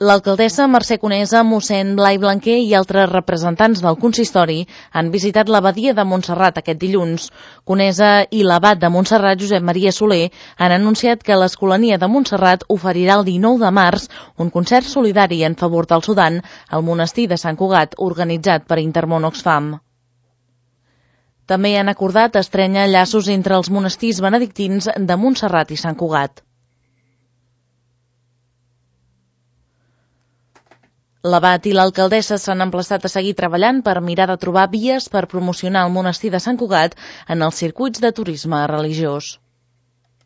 L'alcaldessa Mercè Conesa, mossèn Blai Blanquer i altres representants del consistori han visitat l'abadia de Montserrat aquest dilluns. Conesa i l'abat de Montserrat, Josep Maria Soler, han anunciat que l'Escolania de Montserrat oferirà el 19 de març un concert solidari en favor del Sudan al monestir de Sant Cugat, organitzat per Intermón Oxfam. També han acordat estrènyer llaços entre els monestirs benedictins de Montserrat i Sant Cugat. L'abat i l'alcaldessa s'han emplaçat a seguir treballant per mirar de trobar vies per promocionar el monestir de Sant Cugat en els circuits de turisme religiós.